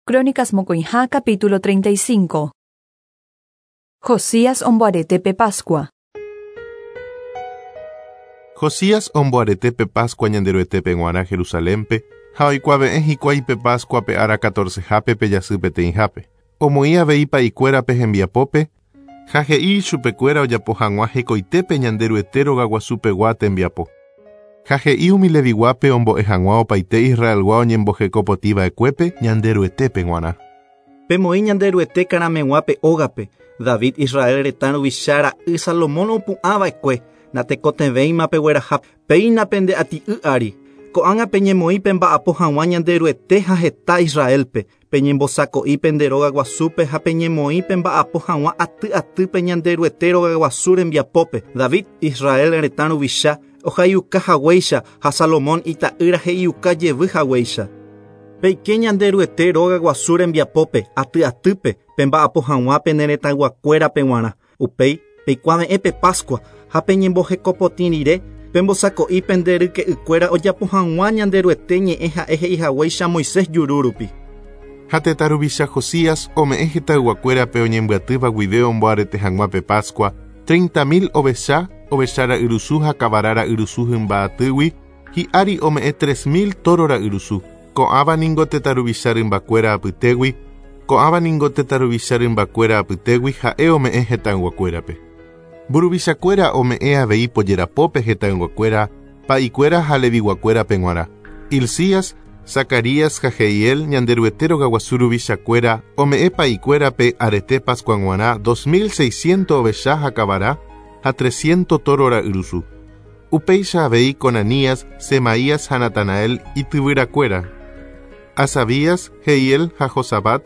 Crónicas mokõiha capítulo 35. Josías omboarete pe Pascua. Josías omboarete pe Pascua Ñanderuetépe g̃uarã Jerusalénpe, ha oikuave'ẽ hikuái pe Pascua pe ára catorcehápe pe jasy peteĩhápe. Omoĩ avei pa'ikuérape hembiapópe, ha he'i ichupekuéra ojapo hag̃ua hekoitépe Ñanderuete rogaguasupegua tembiapo. Ha he'i umi Leviguápe ombo'e hag̃ua opaite Israelgua oñemboheko potĩ va'ekuépe Ñanderuetépe g̃uarã. Pemoĩ Ñanderuete karameg̃ua pe ógape, David Israel retã ruvicha ra'y Salomón opu'ã va'ekue, natekotevẽima pegueraha péina pende ati'y ári. Ko'ág̃a peñemoĩ pemba'apo hag̃ua Ñanderuete ha heta Israelpe, peñembosako'i pende róga guasúpe ha peñemoĩ pemba'apo hag̃ua aty atýpe Ñanderuete rogaguasu rembiapópe, David Israel retã ruvicha ohaiuka haguéicha ha Salomón ita'ýra he'iuka jevy haguéicha. Peike Ñanderuete róga guasu rembiapópe aty atýpe pemba'apo hag̃ua pene retãyguakuérape g̃uarã. Upéi peikuave'ẽ pe Pascua ha peñembohekopotĩ rire pembosako'i pende ryke'ykuéra ojapo hag̃ua Ñanderuete ñe'ẽ ha'e he'ihaguéicha Moisés juru rupi. Ha tetã ruvicha Josías ome'ẽ hetãyguakuérape oñembyatýva guive omboarete hag̃ua pe Pascua, 30.000 ovecha, ovecha ra'yrusu ha kavara ra'yrusu hymba atýgui, hi'ári ome'ẽ 3.000 tóro ra'yrusu. Ko'ãva ningo tetã ruvicha rymbakuéra apytégui, ko'ãva ningo tetã ruvicha rymbakuéra apytégui ha'e ome'ẽ hetãyguakuérape. Mburuvichakuéra ome'ẽ avei pojerapópe hetãyguakuéra, pa'ikuéra ha leviguakuérape g̃uarã. Hilcías, Zacarías ha Jehiel Ñanderuete rogaguasu ruvichakuéra ome'ẽ pa'ikuérape arete Pascua g̃uarã 2600 ovecha ha kavara ha 300 tóro ra'yrusu. Upéicha avei Conanías, Semaías ha Natanael ityvyrakuéra. Asabías, Jehiel ha Josabat,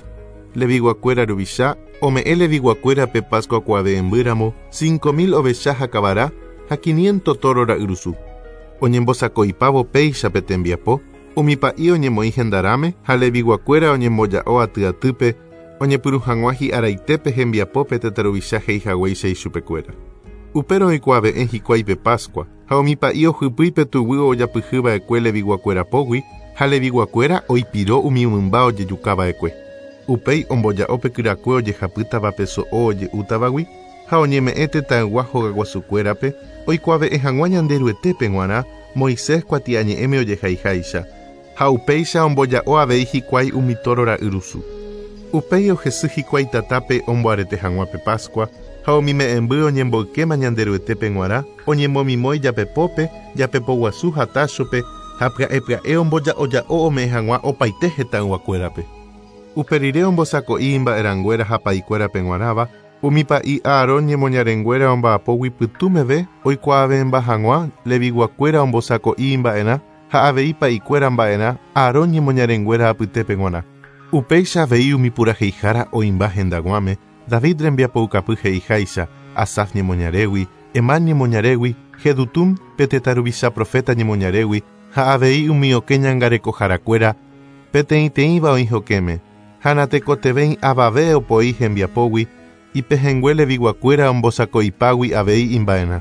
leviguakuéra ruvicha, ome'ẽ leviguakuérape Pascua kuave'ẽmbýramo 5000 ovecha ha kavara ha 500 tóro ra'yrusu. Oñembosako'ipávo péicha pe tembiapo, umi pa'i oñemoĩ hendarãme ha leviguakuéra oñemboja'o aty atýpe oñepyrũ hag̃ua hi'araitépe hembiapópe tetã ruvicha he'ihaguéicha ichupekuéra. Upérõ oikuave'ẽ hikuái pe Pascua, ha umi pa'i ohypýi pe tuguy ojapyhyva'ekue leviguakuéra pógui ha leviguakuéra oipiro umi mymba ojejukava'ekue. Upéi omboja'o pe kyrakue ojehapýtava pe so'o oje'útavagui ha oñeme'ẽ tetãygua hogaguasukuérape oikuave'ẽ hag̃ua Ñanderuetépe g̃uarã Moisés kuatiañe'ẽme ojehaiháicha, ha upéicha omboja'o avei hikuái umi tóro ra'yrusu. Upéi ohesy hikuái tatápe omboarete hag̃ua pe Pascua, ha umi me'ẽmby oñemboykéma Ñanderuetépe g̃uarã oñemomimói japepópe, japepoguasu ha táchope, ha pya'e pya'e omboja'oja'o ome'ẽ hag̃ua opaite hetãyguakuérape. Upe rire ombosako'i imba'erãnguéra ha pa'ikuérape g̃uarãva, umi pa'i Aarón ñemoñarenguéra omba'apógui pytũ meve oikuaave'ẽmba hag̃ua leviguakuéra ombosako'i imba'erã ha avei pa'ikuéra mba'erã Aarón ñemoñarenguéra apytépe g̃uarã. Upéicha avei umi puraheihára oĩmba hendag̃uáme, David rembiapoukapy he'iháicha, Asaf ñemoñarégui, Hemán ñemoñarégui, Jedutún pe tetã ruvicha proféta ñemoñarégui ha avei umi okẽ ñangarekoharakuéra peteĩteĩva oĩ hokẽme, ha natekotevẽi avave opoi hembiapógui, ipehẽngue leviguakuéra ombosako'ipágui avei imba'erã.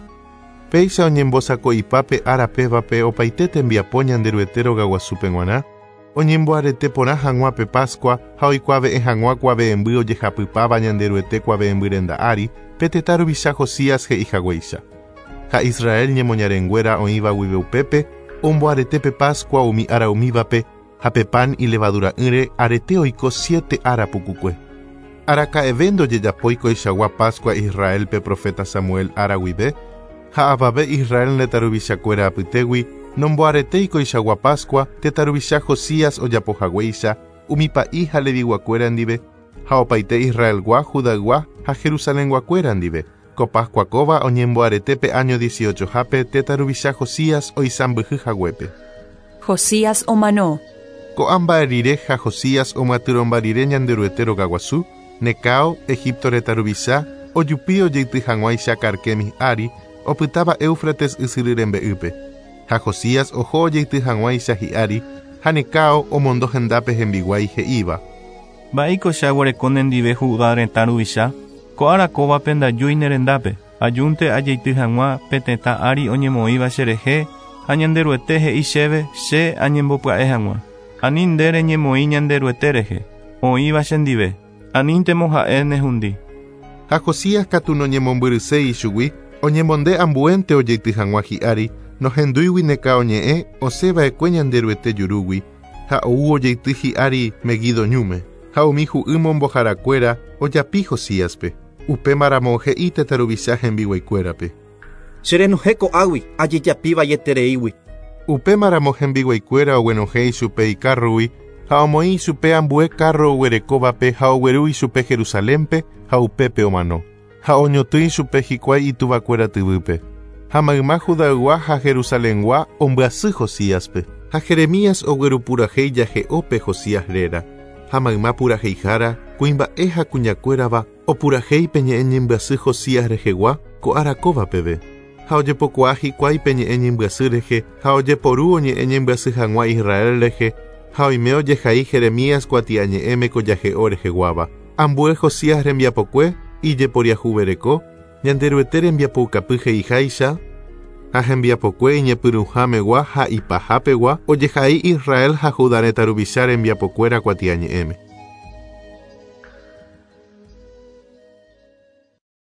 Péicha oñembosako'ipa pe ára pévape opaite tembiapo Ñanderuete rogaguasúpe g̃uarã, oñemboarete porã hag̃ua pe Pascua ha oikuave'ẽ hag̃ua kuave'ẽmby ojehapypáva Ñanderuete kuave'ẽmby renda ári, pe tetã ruvicha Josías he'ihaguéicha. Ha Israel ñemoñarenguéra oĩva guive upépe, omboarete pe Pascua umi ára umívape ha pe pan ilevadura'ỹre arete oiko siete ára pukukue. Araka'eve ndojejapói koichagua Pascua Israélpe proféta Samuel ára guive, ha avave Israel retã ruvichakuéra apytégui nomboaretéi koichagua Pascua tetã ruvicha Josías ojapohaguéicha umi pa'i ha leviguakuéra ndive, ha opaite Israelgua, Judaygua ha Jerusalenguakuéra ndive. Ko Pascua kóva oñemboarete pe áño dieciochohápe tetã ruvicha Josías oisãmbyhy haguépe. Josías omano. Ko'ã mba'e rire ha Josías omyatyrõmba rire Ñanderuete rogaguasu, Necao, Egipto retã ruvicha, ojupi ojeity hag̃uáicha Carquemis ári, opytáva Éufrates ysyry rembe'ýpe. Ha Josías oho ojeity hag̃uáicha hi'ári, ha Necao omondo hendápe hembiguái he'íva. Mba'éiko che aguereko nendive Judá retã ruvicha? Ko ára kóvape ndajúi ne rendápe, ajúnte ajeity hag̃ua pe tetã ári oñemoĩva cherehe, ha Ñanderuete he'i chéve che añembopya'e hag̃ua. Ani nde reñemoĩ Ñanderuete rehe. Oĩva chendive. Aníntemo ha'e nehundi. Ha Josías katu noñemombyryséi ichugui, oñemonde ambuénte ojeity hag̃ua hi'ári, nohendúigui Necao ñe'ẽ osẽva'ekue Ñanderuete jurúgui, ha ou ojeity hi'ári Meguido ñúme, ha umi hu'y momboharakuéra ojapi Josíaspe. Upémaramo he'i tetã ruvicha hembiguaikuérape. Cherenohẽ ko'águi ajejapi vaietereígui. Upémaramo hembiguaikuéra oguenohẽ ichupe ikárrogui ha omoĩ ichupe ambue kárro oguerekóvape ha ogueru ichupe Jerusalénpe ha upépe omano. Ha oñotỹ ichupe hikuái ituvakuéra tyvýpe. Ha mayma Judaygua ha Jerusalengua ombyasy Josíaspe. Ha Jeremías oguerupurahéi jahe'ópe Josías réra. Ha mayma puraheihára, kuimba'e ha kuñakuérava opurahéi pe ñe'ẽ ñembyasy Josías rehegua ko ára kóva peve. Ha ojepokuaa hikuái pe ñe'ẽ ñembyasy rehe ha ojeporu oñe'ẽ ñembyasy hag̃ua Israel rehe ha oime ojehai Jeremías kuatiañe'ẽme ko jahe'o reheguáva. Ambue Josías rembiapokue ijeporiahuvereko, Ñanderuete rembiapoukapy he'iháicha, ha hembiapokue iñepyrũhámegua ha ipahapegua ojehai Israel ha Judá retã ruvicha rembiapokuéra kuatiañe'ẽme.